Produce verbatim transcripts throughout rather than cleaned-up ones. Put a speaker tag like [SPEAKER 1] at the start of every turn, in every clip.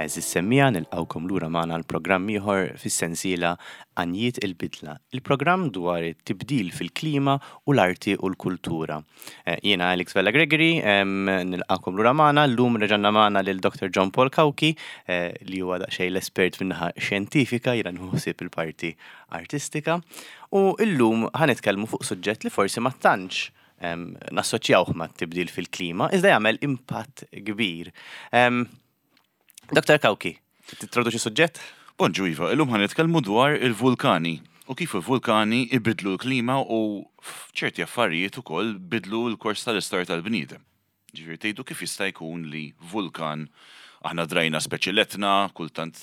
[SPEAKER 1] Għeżież semmiegħa, nilqgħukom lura magħna l-programm ieħor fis-sensiela Għanjiet il-Bidla, il-programm dwar it-tibdil fil-klima u l-arti u l-kultura. Eh, Jiena Alex Vella Gregory, nilqgħukom lura magħna, llum reġgħanna magħna lil Doctor John Paul Cauchi, eh, li huwa daqsxejn l-espert min-naħa xjentifika, jiena nħossib il-parti artistika. U illum ħa nitkellmu fuq suġġett li forsi ma tantx nassoċjawh ma' tibdil fil-klima, iżda jagħmel impatt kbir. Doctor Cauchi, tintroduċi suġġett?
[SPEAKER 2] Bonġu Iva, illum ħa nitkellmu dwar il-vulkani u kif il-vulkani ibidlu l-klima u f'ċerti affarijiet ukoll bidlu l-kors tal-istorja tal-bniedem. Ġifieri tgħidu kif jista' jkun li vulkan, aħna drajna speċi l-Etna, kultant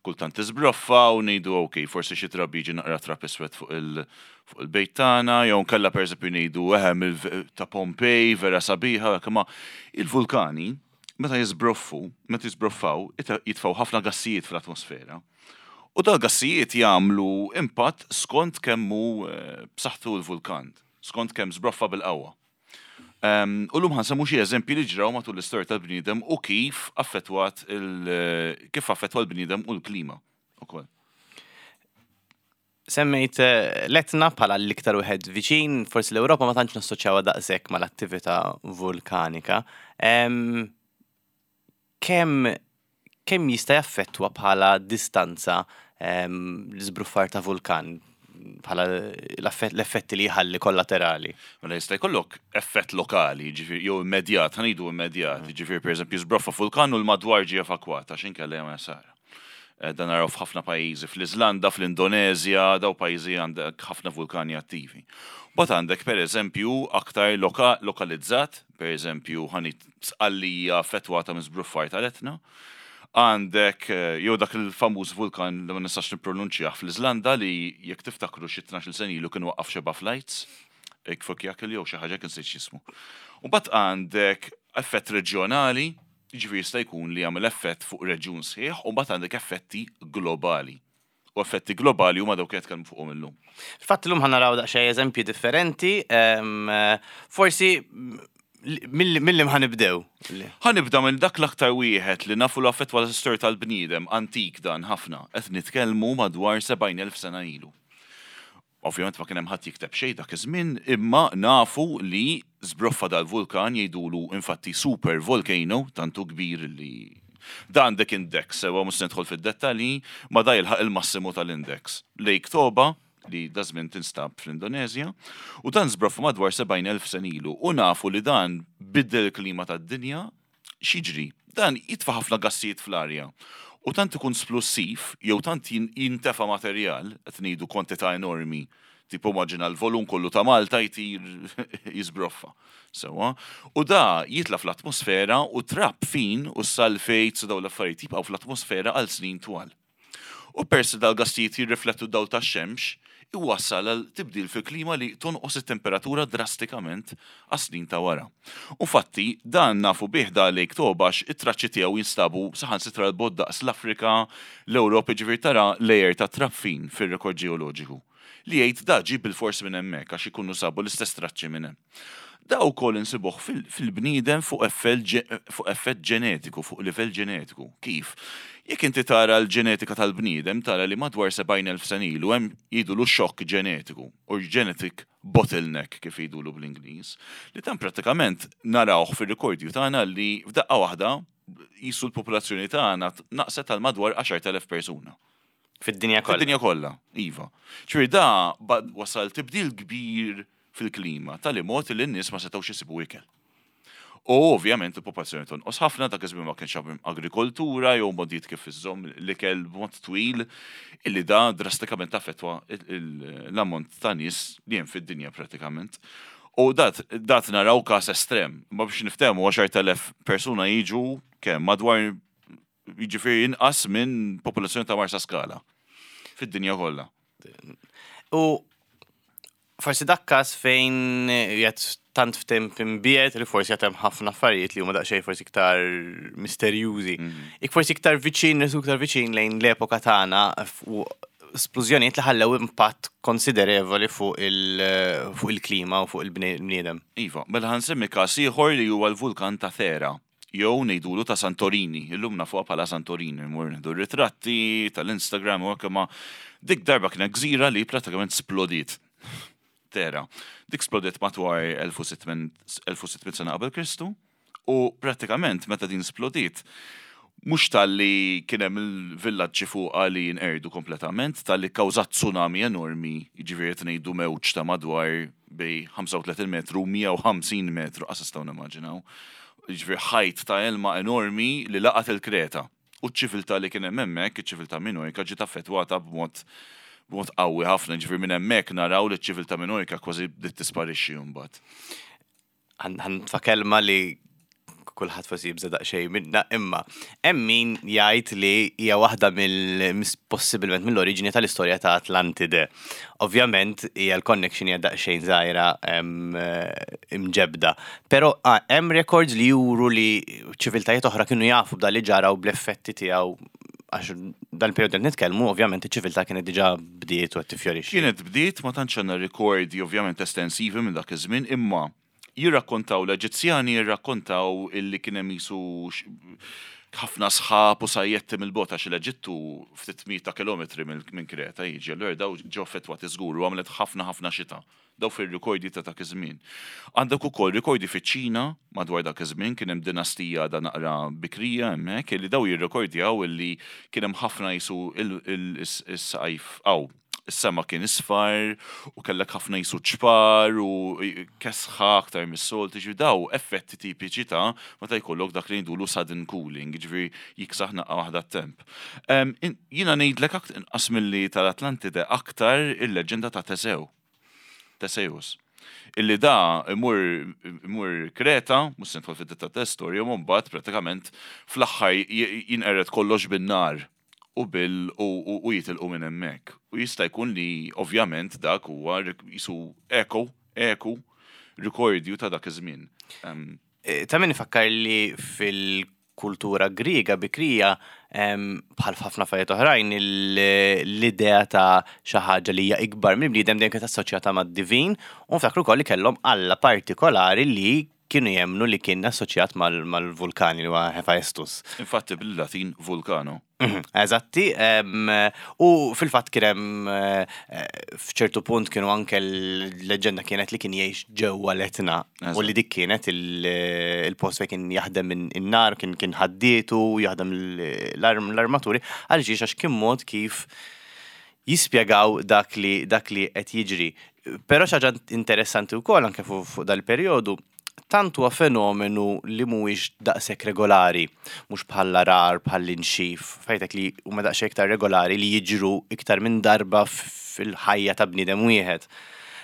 [SPEAKER 2] kultant tiżbroffa u ngħidu ok, forsi xi drabi jiġi naqra trab iswed fuq il fuq il-bejt tagħna, jew nkella pereżempju ngħidu eħe ta' Pompej vera sabiħa, imma il-vulkani meta jiżbroffu, meta jiżbroffaw, jitfgħu ħafna gassijiet fl-atmosfera. U dal-gassijiet jagħmlu impatt skont kemm hu b'saħħtu l-vulkan, skont kemm żbroffa bil-qawwa. U llum ħa nsemmu xi eżempji li ġraw matul l-istorja tal-bniedem u kif affettwat il kif affettwa l-bniedem u l-klima ukoll.
[SPEAKER 1] Semmejt l-Etna bħala l-iktar wieħed viċin, forsi l-Ewropa ma tantx nassoċjawha daqshekk mal-attività vulkanika. Kemm kemm jista' jaffettwa bħala distanza l-iżbruffar ta' vulkan bħala l-effetti li jħalli kollaterali?
[SPEAKER 2] Mela jista' jkollok effett lokali, ġifieri jew immedjat, ħa ngħidu immedjat, ġifieri pereżempju żbroffa vulkan u l-madwar ġie evakwat għax inkella jagħmel sara. Dan naraw f'ħafna pajjiżi, fl-Iżlanda, fl-Indonezja, daw pajjiżi għandek ħafna vulkani attivi. Mbagħad għandek pereżempju aktar lokalizzat, pereżempju ħa ngħid Sqallija affettwata minn żbruffar tal-Etna. Għandek jew dak il-famuż vulkan li ma nistax nippronunċjah fl-Iżlanda li jekk tiftakru xi tnax-il sena ilu kien waqqaf xeba flights, Eyjafjallajökull jew xi ħaġa kien nsejt x'ismu. U mbagħad għandek effett reġjonali, jiġifieri jista' jkun li jagħmel effett fuq reġjun sħiħ, u mbagħad għandek effetti globali. U effetti globali huma dawk li qed nitkellmu fuqhom illum.
[SPEAKER 1] Fatt illum ħa naraw daqsxejn eżempji differenti, forsi mill-li ħa nibdew.
[SPEAKER 2] Ħa nibda minn dak l-aktar wieħed li nafu l affettwa l-istorja tal-bniedem, antik dan ħafna, qed nitkellmu madwar sebgħin elf sena ilu. Ovvjament ma kien hemm ħadd jikteb xejn dak iż-żmien, imma nafu li żbroffa dal-vulkan jgħidulu infatti super volcano, tantu kbir li dan għandek index, sewa mhux se nidħol fid-dettalji, ma da jilħaq il-massimu tal-index. Lake Toba, li da żmien tinstab fl-Indonezja, u dan żbroffa madwar sebgħin elf sena ilu, u nafu li dan biddel il-klima tad-dinja. X'jiġri? Dan jitfa' ħafna gassijiet fl-arja. U tant ikun splussiv, jew tant jintefa' materjal, qed ngħidu kwantità enormi, tipo immaġina l-volum kollu ta' Malta jtir jiżbroffa. Sewa, u da jitla' fl-atmosfera u trab fin u s-sulfates u dawn l-affarijiet jibqgħu fl-atmosfera għal snin twal. U peress li dal-gassijiet jirriflettu d-dawl tax-xemx, iwassal għal tibdil fil-klima li tonqos it-temperatura drastikament għas snin ta' wara. U fatti, dan nafu bih da Lake Toba għax it-traċċi tiegħu jinstabu saħansitra l-bogħod daqs l-Afrika, l-Ewropa, ġifieri tara layer ta' trab fin fir-rekord ġeoloġiku. Li jgħid da ġie bil-fors minn hemmhekk għax ikunu sabu l-istess traċċi minn hemm. Da wkoll insibuh fil-bniedem fuq effett ġenetiku, fuq livell ġenetiku. Kif? Jekk inti tara l-ġenetika tal-bniedem, tara li madwar sebgħin elf sena ilu hemm jgħidulu xokk ġenetiku, or genetic bottleneck kif jgħidulu bl-Ingliż, li dan pratikament narawh fir-rekordju tagħna li f'daqqa waħda jisu l-popolazzjoni tagħna naqset għal madwar għaxart elef persuna.
[SPEAKER 1] Fid-dinja kollha.
[SPEAKER 2] Fid-dinja kollha, iva. Ġifieri da wasal tibdil kbir fil-klima, tali mod li n-nies ma setgħux isibu ikel. U ovvjament il-popolazzjoni tonqos ħafna, dak iż-żmien ma kienx hemm agrikoltura jew modijiet kif iżżomm l-ikel b'mod twil, illi da drastikament affettwa l-ammont ta' nies li hemm fid-dinja pratikament. U dat, dat naraw każ estrem, ma biex niftehmu għaxart elef persuna jiġu kemm madwar jiġifieri inqas minn popolazzjoni ta' Marsa Skala fid-dinja kollha.
[SPEAKER 1] U forsi dak każ fejn jgħid tant f'temp imbiet li forsi qed hemm ħafna affarijiet li huma daqsxejn forsi iktar misterjużi.
[SPEAKER 2] Mhm.
[SPEAKER 1] Ik forsi iktar viċin, nisu iktar viċin lejn l-epoka tagħna u splużjonijiet li ħallew impatt konsiderevoli fuq il- fuq il-klima u fuq il-bniedem.
[SPEAKER 2] Iva, mela ħa nsemmi każ ieħor li huwa l-vulkan ta' Thera, jew ngħidulu ta' Santorini, illum nafuha bħala Santorini, mur nieħdu ritratti tal-Instagram u hekk, ma dik darba kienet gżira li pratikament splodiet. Thera. Dik splodiet madwar elf u sitt mitt sena qabel Kristu u pratikament meta din splodiet, mhux talli kien hemm il-villaġġi fuqha li jinqerdu kompletament, talli kkawżat tsunami enormi, jiġifieri qed ngħidu mewġ ta' madwar bejn ħamsa u tletin metru u mija u ħamsin metru, qas nistgħu nimmaġinaw. Jiġifieri ħajt ta' ilma enormi li laqat il-Kreta. U ċ-ċiviltà li kien hemm hemmhekk, iċ-ċiviltà Minojka, ġiet affettwata b'mod b'mod qawwi ħafna, ġifieri minn hemmhekk naraw li ċ-ċiviltà Minojka kważi bdiet tisparixxi mbagħad.
[SPEAKER 1] Ħa nitfa' kelma li kulħadd forsi jibża daqsxejn minna, imma hemm min jgħid li hija waħda mill possibilment mill-oriġini tal-istorja ta' Atlantide. Ovvjament hija l-connection hija daqsxejn żgħira em, eh, imġebda. Però ah, hemm records li juru li ċiviltajiet oħra kienu jafu b'dan li ġara u bl-effetti tiegħu, għax dan il-periodu qed nitkellmu, ovvjament iċ-ċiviltà kienet diġà bdiet u qed tifjorixxi.
[SPEAKER 2] Kienet bdiet, ma tantx għandna rikordi ovvjament estensivi minn dak iż-żmien, imma jirrakkontaw l-Eġizzjani, jirrakkontaw illi kien hemm jisu x- ħafna sħab u sajjetti mill-bogħod, għax l-Eġittu ftit mijiet ta' kilometri minn minn Kreta jiġi, allura daw ġew affettwati żgur u għamlet ħafna ħafna xita. Daw fir-rikordi ta' dak iż-żmien. Għandek ukoll rikordi fiċ-Ċina madwar dak iż-żmien, kien hemm dinastija da naqra bikrija hemmhekk illi daw jirrekordjaw illi kien hemm ħafna jisu il-sajf aw is-sema kien isfar u kellek ħafna jisu ċpar u kesħa aktar mis-soltu, ġifieri daw effetti tipiċi ta' meta jkollok dak li ngħidulu sudden cooling, ġifieri jiksaħ naqra waħda t-temp. Em, in- Jiena ngħidlek akt- inqas milli tal-Atlantide, aktar il-leġenda ta' Tesew. Teseus. Illi da imur, imur Kreta, mhux se nidħol fid ta' storja, u mbagħad pratikament fl-aħħar j- jinqered kollox bin-nar u bil u, u, u jitilqu minn hemmhekk. U jista' jkun li ovvjament dak huwa rik- jisu eko, eku, rikordju ta' dak iż-żmien. Em,
[SPEAKER 1] Eh, Ta' min ifakkar li fil-kultura Griega bikrija, em, bħal ħafna affarijiet oħrajn, il- l-idea ta' xi ħaġa li hija ikbar mill-bniedem dejjem kienet assoċjata mad-divin, u nftakru wkoll li kellhom alla partikolari li kienu jemnu li kien assoċjat mal- mal-vulkani, li huwa Hephaestus.
[SPEAKER 2] Infatti bil-Latin Vulcano.
[SPEAKER 1] Mhm, Eżatti, em, u fil-fatt kien hemm eh, eh, f'ċertu punt kienu anke l-leġenda kienet li kien jgħix ġewwa l-Etna u li dik kienet il- il-post fejn kien jaħdem minn in-nar, kien kien ħaddietu, jaħdem l-arm- l-armaturi, għaliex għax kien mod kif jispjegaw dak li dak li qed jiġri. Però xi ħaġa interessanti wkoll anke fuq fuq dal-perjodu, tant huwa fenomenu li mhuwiex daqshekk regolari, mhux bħal rar, bħal inxif, fejtek li huma daqshekk iktar regolari li jiġru iktar minn darba fil-ħajja ta' bniedem wieħed.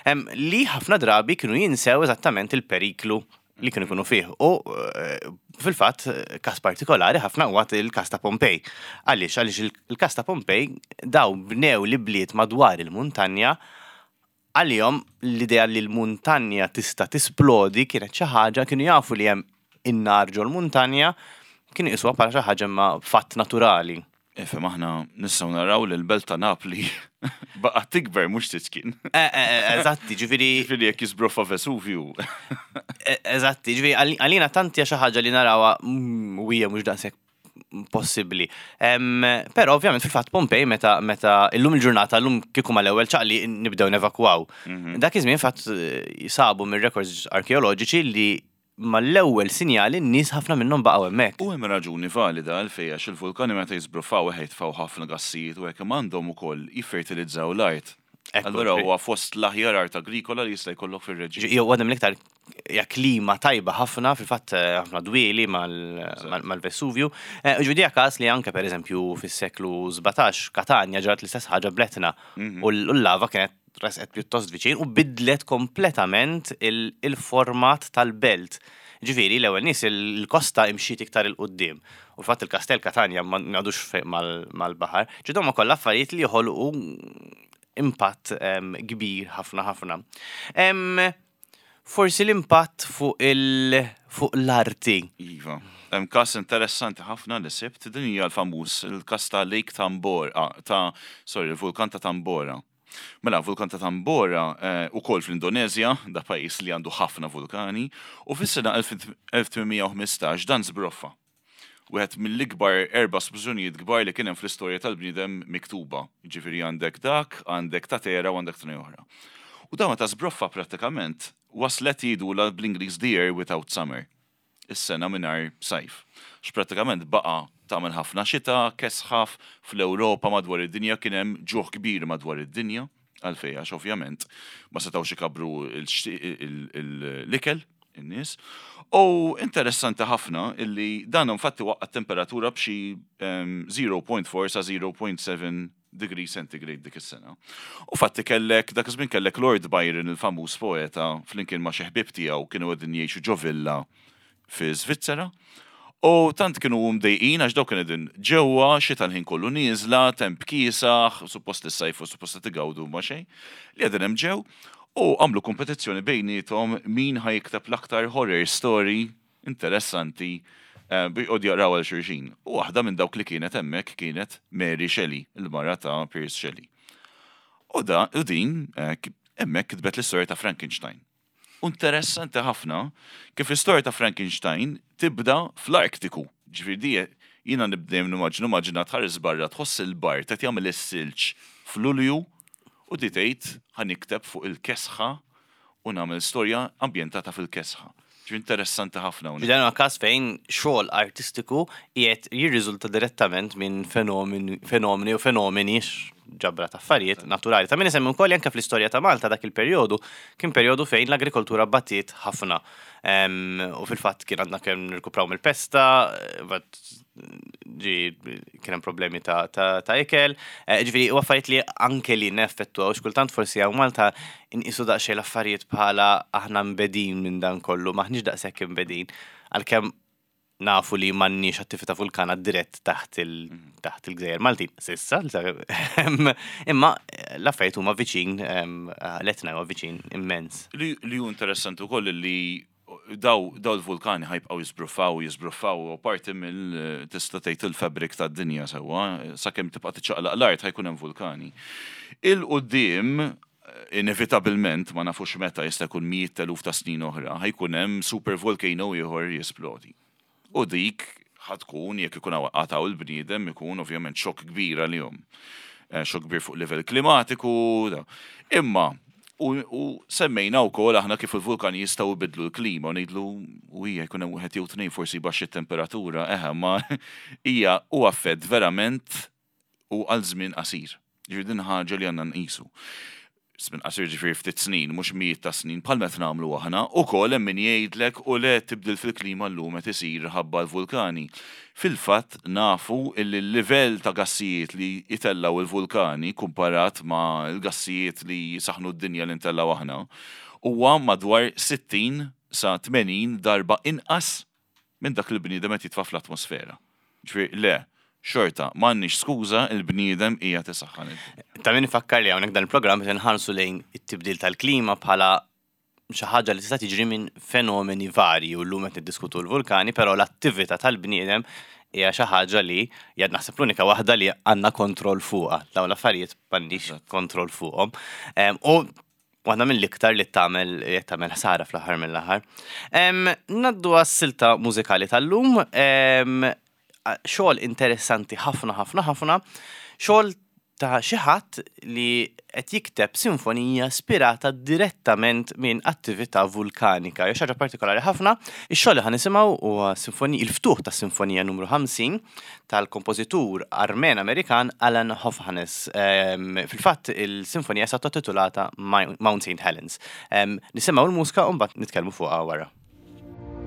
[SPEAKER 1] Em, li ħafna drabi kienu jinsew eżattament il-periklu li kienu jkunu fih. U eh, fil-fatt, każ partikolari ħafna huwa il-każ ta' Pompej. Għaliex, għaliex il- il-każ ta' Pompej, daw bnew li bliet madwar il-muntanja, għalihom l-idea li l-muntanja tista' tisplodi kienet xi ħaġa, kienu jafu li hemm in-nar ġol muntanja, kienu jqisuha bħala xi ħaġa ma fatt naturali.
[SPEAKER 2] Ifhem, aħna nistgħu naraw li l-belt ta' Napli baqgħet tikber, mhux tiċkien.
[SPEAKER 1] Eh, eh, eh, Eżatti, ġifieri
[SPEAKER 2] Ġifieri jekk jisbroffa Vesuvju.
[SPEAKER 1] eh, eżatti, ġifieri għal- għalina tanti xi ħaġa li narawha mm, u hija mhux daqshekk possibbli. Em, Però ovvjament fil-fatt Pompej, meta meta illum il-ġurnata, illum kieku mal-ewwel ċaqli nibdew nevakwaw. Dak iż-żmien fatt eh, sabu mir-records arkeoloġiċi li mal-ewwel sinjali n-nies ħafna minnhom baqgħu hemmhekk.
[SPEAKER 2] U hemm raġuni valida għalfejn, għax il-vulkani meta jisbroffaw jitfgħu ħafna gassijiet u hekk, imma għandhom ukoll jiffertilizzaw l-art.
[SPEAKER 1] Ekku,
[SPEAKER 2] Allura
[SPEAKER 1] ġifieri-
[SPEAKER 2] huwa fost l-aħjar art agrikola li jista' jkollok fir-reġjun.
[SPEAKER 1] Jew għadem l-iktar hija klima tajba ħafna, fil-fatt eh, ħafna dwieli mal- mal- mal-Vesuvju. Eh, Ġifieri każ li anke per eżempju fis-seklu sbatax Katanja ġrat l-istess ħaġa bl-Etna u l- u l-lava kienet resqet pjuttost viċin u bidlet kompletament il- il-format tal-belt. Ġifieri, l-ewwel nies il-kosta imxiet iktar 'il quddiem. U fatt il-Kastell Katanja ma għadux fejn mal- mal-baħar. Ġidhom kollha affarijiet li joħolqu impatt em, kbir ħafna ħafna. Em, Forsi l-impatt fuq il fuq l-arti.
[SPEAKER 2] Iva. Hemm każ interessanti ħafna li sibt, din hija l-famuż il-każ ta' Lake Tambora, ah, ta' sorry, il-vulkan ta' Tambora. Mela, vulkan ta' Tambora eh, ukoll fl-Indonezja, da pajjiż li għandu ħafna vulkani, u fis-sena elf tmien mija u ħmistax dan żbroffa. Wieħed mill-ikbar erba' splużjonijiet kbar li kien hemm fl-istorja tal-bniedem miktuba. Ġifieri għandek dak, għandek ta' Tera u għandek tnejn oħra. U dawn ta' żbroffa prattikament waslet jgħidulha bl-Ingliż "the year without summer". Is-sena mingħajr sajf. X'prattikament baqa' tagħmel ħafna xita, kesħaf fl-Ewropa, madwar id-dinja kien hemm ġuħ kbir madwar id-dinja, għalfejn, għax ovvjament ma setgħux ikabru l-ikel in-nies. U interessanti ħafna illi dan infatti waqqa temperatura b'xi żero punt erba' sa żero punt seba' degree centigrade dik is-sena. U fatti kellek, dak iż-żmien kellek Lord Byron, il-famuż poeta, flimkien ma' xi ħbieb tiegħu kienu qegħdin jgħixu ġo villa fi Svizzera. U tant kienu mdejqin għax dawk kienu qegħdin ġewwa, xita l-ħin kollu nieżla, temp kiesaħ, suppost is-sajf u suppost tigawdu ma xejn, li qegħdin hemm ġew u għamlu kompetizzjoni bejniethom min ħa jikteb l-aktar horror story interessanti eh, bi qod jaqraw għal xulxin. U waħda minn dawk li kienet hemmhekk kienet Mary Shelley, il-mara ta' Percy Shelley. U da, u din, eh, hemmhekk kitbet l-istorja ta' Frankenstein. U interessanti ħafna kif l-istorja ta' Frankenstein tibda fl-Artiku. Ġifieri di jiena nibdejm nimmaġinu maġina tħares barra, tħoss il-bard qed jagħmel is-silġ f'Lulju u di tgħid ħa nikteb fuq il-kesħa u nagħmel storja ambjentata fil-kesħa. Ġifieri interessanti ħafna hawnhekk.
[SPEAKER 1] Dan huwa każ fejn xogħol artistiku qiegħed jirriżulta direttament minn fenomeni fenomeni u fenomeni, ġabra ta' affarijiet naturali. Ta' min isemmi wkoll anke fl-istorja ta' Malta dak il-perjodu kien perjodu fejn l-agrikoltura battiet ħafna. Em, U fil-fatt kien għandna kemm nirkupraw mill-pesta, bat ġi kien hemm problemi ta', ta, ta' ikel. Eh, Ġifieri u affarijiet li anke li neffettwaw, xkultant forsi hawn Malta inqisu daqsxejn l-affarijiet bħala aħna mbegħdin minn dan kollu, maħniex daqshekk imbegħdin. Għalkemm nafu li m'għandniex attività vulkana dirett taħt il taħt il-Gżejjer Maltin, s'issa, imma l-affarijiet huma viċin, em, l-Etna huwa viċin immens.
[SPEAKER 2] Li li hu interessanti wkoll li daw daw il-vulkani ħa jibqgħu jiżbruffaw, jiżbruffaw u parti mill tista' tgħid il-fabric tad-dinja sewwa, sakemm tibqa' tiċċaqlaq l-art ħa jkun hemm vulkani. Il-quddiem inevitabilment, ma nafux meta, jista' jkun mijiet eluf ta' snin oħra, ħa jkun hemm super volcano ieħor jisplodi. U dik ħa tkun, jekk ikun għataw il-bniedem, ikun ovvjament xokk kbir għalihom. Eh, Xokk kbir fuq livell klimatiku. Da. Imma, u, u semmejna wkoll aħna kif il-vulkani jistgħu jbidlu l-klima u ngħidlu u hija jkun hemm wieħed jew tnejn forsi baxx it-temperatura, eħe, ma hija u affett verament u għal żmien qasir. Ġifieri din ħaġa li għandna nqisu. Żmien qasir ġifieri ftit snin, mhux mijiet ta' snin, bħal meta nagħmlu aħna, ukoll hemm min jgħidlek u le, tibdil fil-klima llum qed isir ħabba l-vulkani. Fil-fatt nafu illi l-livell ta' gassijiet li jitellaw il-vulkani kumparat ma' l-gassijiet li jisaħnu d-dinja li ntellaw aħna huwa madwar sittin sa tmenin darba inqas minn dak li l-bniedem qed jitfa' fl-atmosfera. Ġifieri le, xorta, m'għandniex skuża, il-bniedem hija tisaħħan id-dinja.
[SPEAKER 1] Ta' min ifakkar li hawnhekk dan il-programm qed inħarsu lejn it-tibdil tal-klima bħala xi ħaġa li tista' tiġri minn fenomeni varji u llum qed niddiskutu l-vulkani, però l-attività tal-bniedem hija xi ħaġa li hija naħseb l-unika waħda li għandna kontroll fuqha. Dawn l-affarijiet m'għandix kontroll fuqhom. Em, U waħda mill-iktar li tagħmel li tagħmel ħsara fl-aħħar mill-aħħar. Em, Naddu għas-silta mużikali tal-lum, em, xogħol interessanti ħafna ħafna ħafna, xogħol ta' xi ħadd li qed jikteb sinfonija ispirata direttament minn attività vulkanika. Jew xi ħaġa partikolari ħafna. Ix-xogħol li ħa nisimgħu huwa sinfoni il-ftuħ ta' sinfonija numru ħamsin tal-kompożitur Armen Amerikan Alan Hovhaness. Em, Fil-fatt il-sinfonija sa titulata Mount Saint Helens. Em, Nisimgħu l-mużika u mbagħad nitkellmu fuqha wara.
[SPEAKER 3] Thank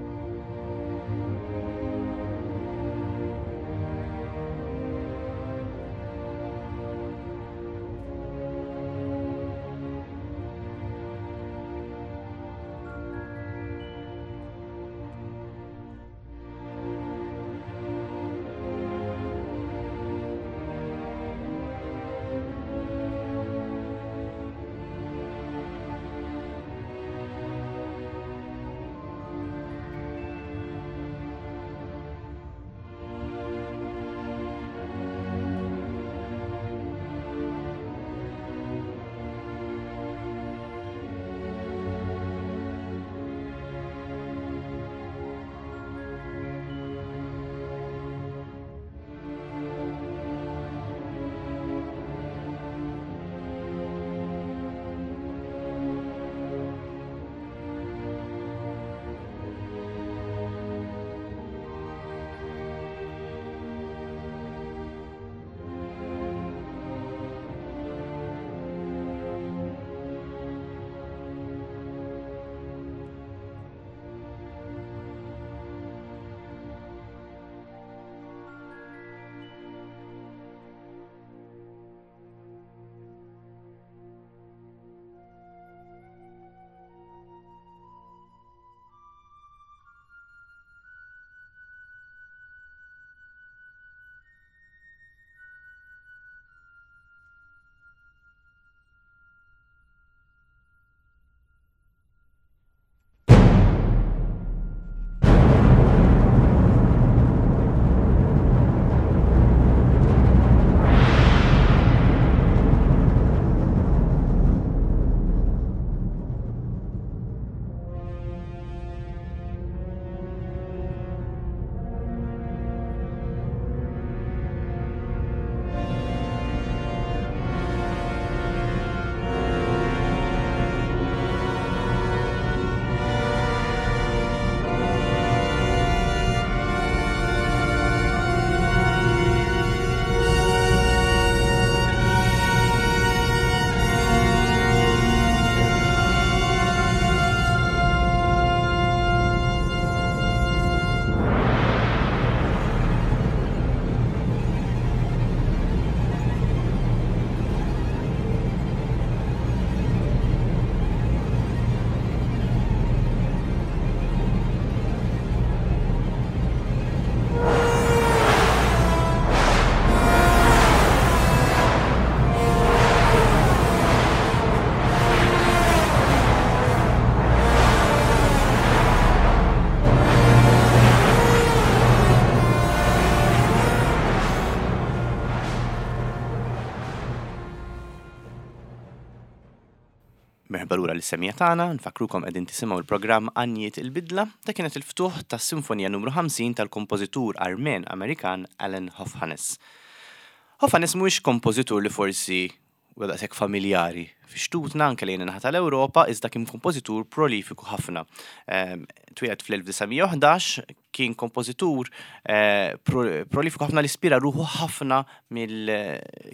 [SPEAKER 1] Merħba lura lis-semmiegħa tagħna, nfakkrukom qegħdin tisimgħu l-programm Għanjiet il-Bidla, ta' kienet il-ftuħ tas-Sinfonija numru ħamsin tal-kompożitur Armen Amerikan Alan Hovhaness. Hovhaness mhuwiex kompożitur li forsi huwa daqshekk familjari fi xtutna anke lejn in-naħa tal-Ewropa, iżda kien kompożitur prolifiku ħafna. Ehm, Twieled fl-elf disa' mija u ħdax, kien kompożitur eh, prolifiku ħafna li ispira ruħu ħafna mill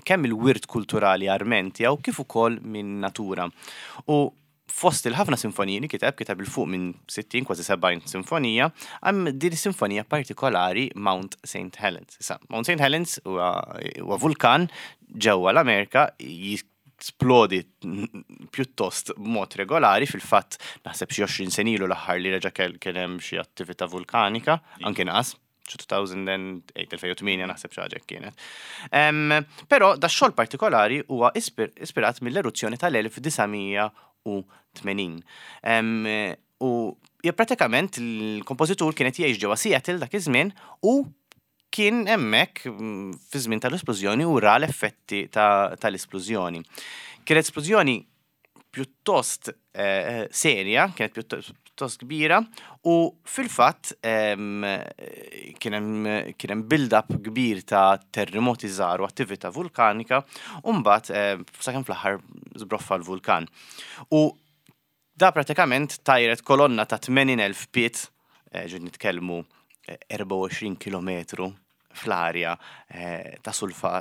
[SPEAKER 1] kemm il-wirt kulturali Armen tiegħu kif ukoll minn natura. U fost il-ħafna sinfoniji li kiteb, kiteb 'il fuq minn sittin, kważi sebgħin sinfonija, hemm din sinfonija partikolari, Mount Saint Helens. Issa, Mount Saint Helens huwa vulkan ġewwa l-Amerika, jisplodi pjuttost b'mod regolari. Fil-fatt naħseb xi għoxrin sena ilu l-aħħar li reġa' kien hemm xi attività vulkanika, anke naqas, xi elfejn u tmienja elfejn u tmienja naħseb xi ħaġa kienet. Però da xogħol partikolari huwa ispirat mill-eruzzjoni tal-elf disa' mija u tmenin. U hija pratikament il-kompożitur kienet jgħix ġewwa Seattle dak iż-żmien u kien hemmhekk mm, fi żmien tal-esplużjoni u ra l-effetti tal-esplużjoni. Kienet esplużjoni pjuttost eh, serja, kienet pjuttost kbira u fil-fatt kien hemm build-up kbir ta' terremoti żgħar u attività vulkanika u mbagħad sakemm fl-aħħar żbroffa l-vulkan. U da pratikament tajret kolonna ta' tmenin elf pied, eh, ġed nitkellmu erbgħa u għoxrin kilometru fl-arja eh, ta' sulfa,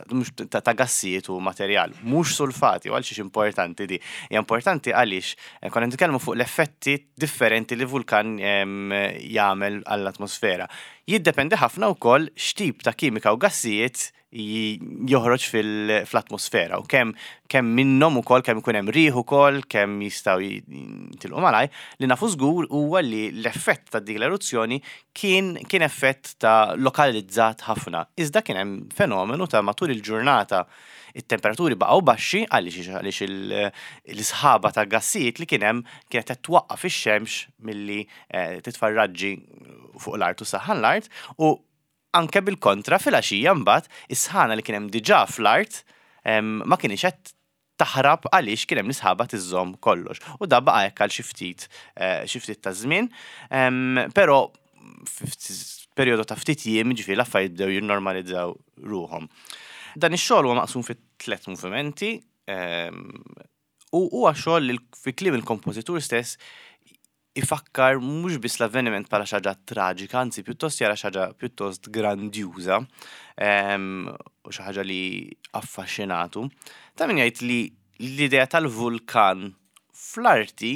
[SPEAKER 1] ta', ta gassijiet u materjal, mhux sulfati. U għalxiex importanti di? Hija importanti għaliex eh, konna nitkellmu fuq l-effetti differenti li vulkan jagħmel għall-atmosfera. Jiddependi ħafna wkoll x'tip ta' kimika u gassijiet joħroġ fl-atmosfera u kemm kemm minnhom ukoll, kemm ikun hemm riħ ukoll, kemm jistgħu jitilqu malaj. Li nafu żgur huwa li l-effett ta' dik l-eruzzjoni kien kien effett ta' lokalizzat ħafna. Iżda kien hemm fenomenu ta' matul il-ġurnata it-temperaturi baqgħu baxxi għaliex għaliex l-isħaba ta' gassijiet li kien hemm kienet qed twaqqaf ix-xemx milli eh, titfa' raġġi fuq l-art u ssaħħan l-art, u anke bil-kontra, fil-għaxija mbagħad is-sħana li kien hemm diġà fl-art ma kienx qed taħrab għaliex kien hemm l-isħaba tiżżomm kollox. U da baqa' hekk għal xi ftit eh, xi ftit ta' żmien, però perjodu ta' ftit jiem, ġifieri, l-affarijiet bdew jinnormalizzaw ruħhom. Dan ix-xogħol huwa maqsum fi tliet movimenti u huwa xogħol li fi kliem il-kompożitur stess ifakkar mhux biss l-avveniment bħala xi ħaġa traġika, anzi pjuttost jara xi ħaġa pjuttost grandjuża u xi ħaġa li affaxxinatu. Ta' min jgħid li l-idea tal-vulkan fl-arti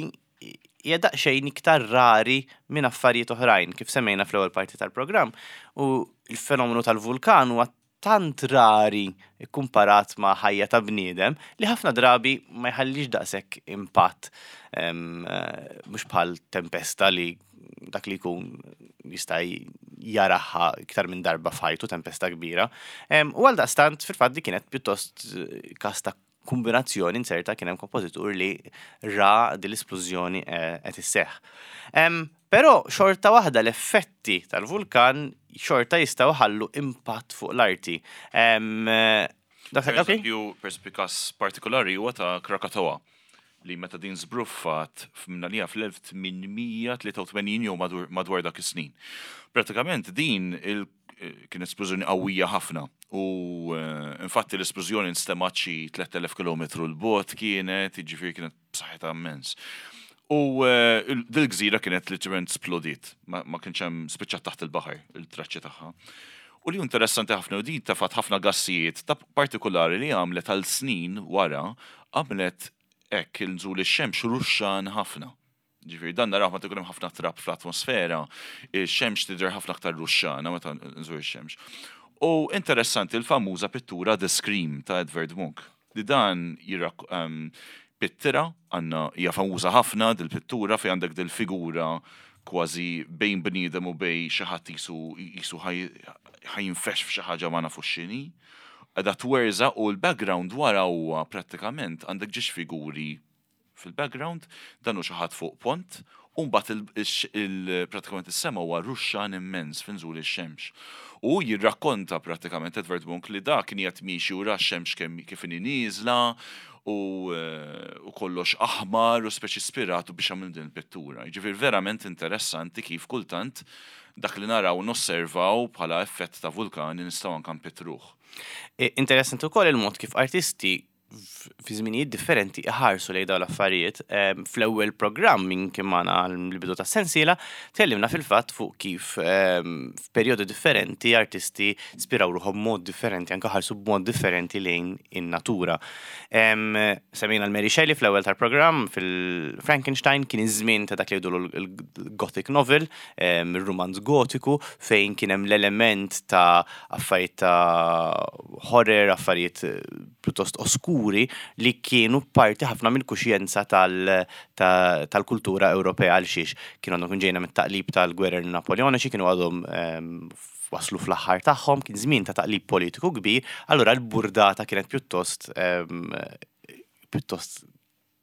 [SPEAKER 1] hija daqsxejn iktar rari minn affarijiet oħrajn, kif semmejna fl-ewwel parti tal-programm, u l-fenomenu tal-vulkan huwa tant rari kumparat ma' ħajja ta' bniedem li ħafna drabi ma jħallix daqshekk impatt, mhux bħal tempesta li dak li jkun jista' jaraha iktar minn darba f'ħajtu, tempesta kbira. U għal daqstant fil-fatt di kienet pjuttost każ ta' kombinazzjoni inserta kien hemm kompożitur li ra din l-esplużjoni qed isseħħ. Però xorta waħda l-effetti tal-vulkan xorta jistgħu ħallu impatt fuq l-arti.
[SPEAKER 2] Per eżempju, per każ partikolari huwa ta' Krakatoa li meta din żbruffat f'mnalija fl-elf tmien mija tlieta u tmenin jew madwar dak is-snin. Pratikament din il kien esplużjoni qawwija ħafna u infatti l-esplużjoni nstemgħet xi tliet elef kilometru 'l bogħod kienet, jiġifieri kienet b'saħħitha immens. U dil-gżira kienet literalment splodiet, ma kienx hemm, spiċċat taħt il-baħar il-traċċi tagħha. U li interessanti ħafna u din tefgħet ħafna gassijiet ta' partikolari li għamlet għal snin wara, għamlet hekk il-nżul ix-xemx ruxxan ħafna. Ġifieri dan naraw meta jkun hemm ħafna trab fl-atmosfera, ix-xemx tidher ħafna aktar ruxxana meta nżur ix-xemx. U interessanti l-famuża pittura The Scream ta' Edvard Munch. Li dan jirak pittura għandna hija famuża ħafna dil-pittura fejn għandek dil-figura kważi bejn bniedem u bejn xi ħadd jisu jisu ħa jinfexx f'xi ħaġa ma nafux x'inhi. Qegħda twerżaq u l-background wara huwa prattikament għandek ġiex figuri fil-background, dan hu xi ħadd fuq pont, u mbagħad pratikament is-sema huwa ruxxan immens f'inżul ix-xemx. U jirrakkonta prattikament Edvard Munch li da kien qed miexi u ra x-xemx kemm kif inhi nieżla. u, eh, u kollox aħmar u speċi ispiratu biex għamil din il-pittura. Ġifieri verament interessanti kif kultant dak li naraw nosservaw bħala effett ta' vulkani nistgħu anke npittruh.
[SPEAKER 1] E, Interessanti wkoll il-mod kif artisti f- fi żminijiet differenti iħarsu lejn dawn l-affarijiet. Em, Fl-ewwel programm minn kien magħna l-bidu ta' sensiela, tkellimna fil-fatt fuq kif em, f'perjodi differenti artisti spiraw ruħhom b'mod differenti, anke ħarsu b'mod differenti lejn in-natura. Em, Semmejna l-Mary Shelley fl-ewwel tal-programm fil-Frankenstein, kien iż-żmien ta' dak li jgħidu l-Gothic novel, em, il-romanz gotiku, fejn kien hemm l-element ta' affarijiet ta' horror, affarijiet eh, pjuttost oskuri li kienu parti ħafna mill-kuxjenza tal- ta- tal-kultura Ewropea, għal xiex kienu għandhom ġejna mit-taqlib tal-gwerer Napoleoniċi, kienu għadhom em, waslu fl-aħħar tagħhom, kien żmien ta' taqlib politiku kbir, allura l-burdata kienet pjuttost em, pjuttost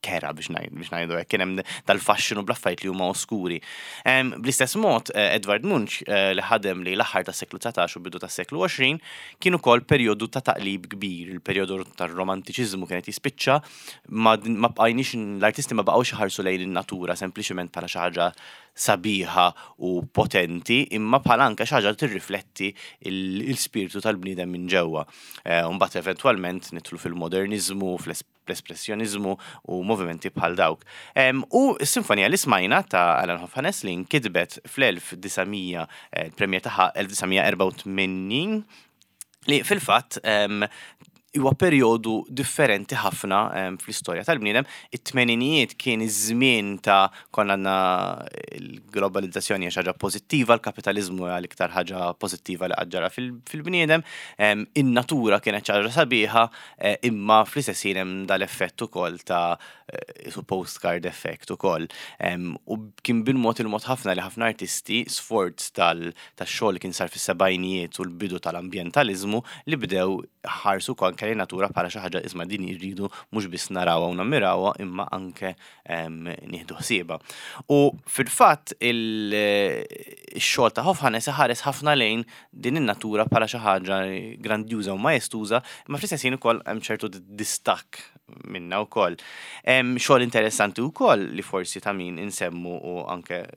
[SPEAKER 1] kerha, biex ngħid biex ngħidu hekk, kien hemm dal-faxxinu bl-affarijiet li huma oskuri. Em, Bl-istess mod, eh, Edvard Munch, eh, li ħadem li l-aħħar tas-seklu dsatax u bidu tas-seklu għoxrin, kien ukoll perjodu ta' taqlib kbir, il-perjodu tar-romantiċiżmu kienet jispiċċa, ma, ma bqajniex, l-artisti ma baqgħux iħarsu lejn in-natura sempliċement bħala xi ħaġa sabiħa u potenti, imma bħala anke xi ħaġa li tirrifletti il-spiritu tal-bniedem minn ġewwa. Eh, Mbagħad eventwalment nidħlu fil-modernizmu, fl-espressjonizmu u movimenti bħal dawk. Em, U s-sinfonija li smajna ta' Alan Hovhaness, li nkitbet fl-elf disa' mija, eh, il-premier tagħha elf disa' mija erbgħa u tmenin, li fil-fatt em, huwa perjodu differenti ħafna em, fl-istorja tal-bniedem. It-tmeninijiet kien iż-żmien ta' konna għandna l-globalizzazzjoni hija xi ħaġa pożittiva, l-kapitalizmu hija l-iktar ħaġa pożittiva li qatt ġara fil- fil-bniedem, em, in-natura kienet xi ħaġa sabiħa, eh, imma fl-istess ħin hemm dal-effett ukoll ta' eh, su postcard effect ukoll. Em, U kien bil-mod il-mod ħafna li ħafna artisti, sforz tal- tax-xogħol li kien sar fis-sebgħinijiet u l-bidu tal-ambjentalizmu, li bdew ħarsu anke lejn natura bħala xi ħaġa, isma', din irridu mhux biss narawha u nammirawha, imma anke em, nieħdu ħsiebha. U fil-fatt il-xogħol ta' Hovhaness ħares ħafna lejn din in-natura bħala xi ħaġa grandjuża u majestuża, imma fl-istess ħin ukoll hemm ċertu distakk minna wkoll. Hemm xogħol interessanti wkoll li forsi ta' min insemmu u anke eh,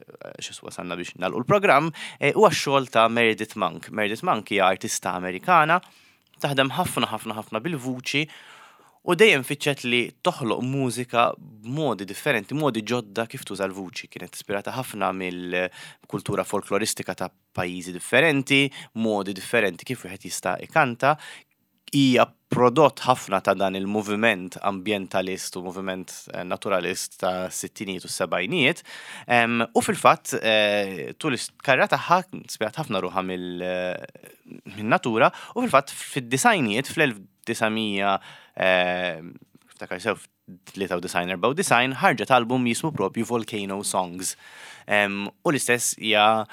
[SPEAKER 1] xi wasalna biex nagħlqu l-programm, eh, huwa x-xogħol ta' Meredith Monk. Meredith Monk hija artista Amerikana, taħdem ħafna ħafna ħafna bil-vuċi u dejjem fittxet li toħloq mużika b'modi differenti, modi ġodda kif tuża l-vuċi. Kienet ispirata ħafna mill-kultura folkloristika ta' pajjiżi differenti, modi differenti kif wieħed jista' ikanta. Hija prodott ħafna ta' dan il-moviment ambientalist u moviment eh, naturalist ta' sittinijiet u sebgħinijiet. Em, U fil-fatt, eh, tul is-karriera tagħha spirat ħafna ruħha mill-natura u fil-fatt fid-disgħinijiet, fl-elf disa' mija, ftakar sew, tlieta u disgħin, erbgħa u disgħin, ħarġet album jismu propju Volcano Songs. Em, U l-istess hija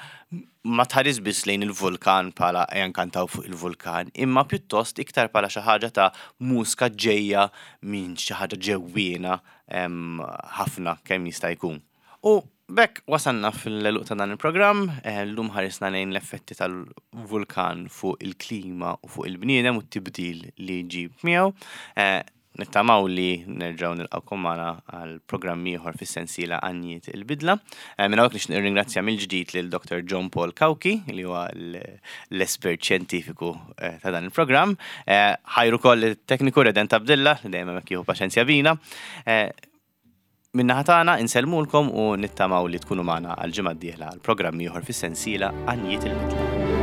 [SPEAKER 1] ma tħares biss lejn il-vulkan bħala ejja nkantaw fuq il-vulkan, imma pjuttost iktar bħala xi ħaġa ta' mużika ġejja minn xi ħaġa ġewwiena em, ħafna kemm jista' jkun. U b'hekk wasalna fl-għeluq ta' dan il-programm, eh, llum ħarisna lejn l-effetti tal-vulkan fuq il-klima u fuq il-bniedem u t-tibdil li ġib miegħu. Eh, Nittamaw li nerġaw nilqawkom magħna għal programm ieħor fis-sensiela Għanjiet il-Bidla. Eh, Minn hawnhekk nixtieq nirringrazzja mill-ġdid lil Doktor John Paul Cauchi, li huwa l- l-espert xjentifiku eh, ta' dan il-programm. Eh, Ħajru koll it-tekniku Redent Abdilla li dejjem hemmhekk jieħu paċenzja bina. Eh, Min-naħa tagħna insellmulkom u nittamaw li tkunu magħna għal ġimgħa d-dieħla għal programm ieħor fis-sensiela Għanjiet il-Bidla.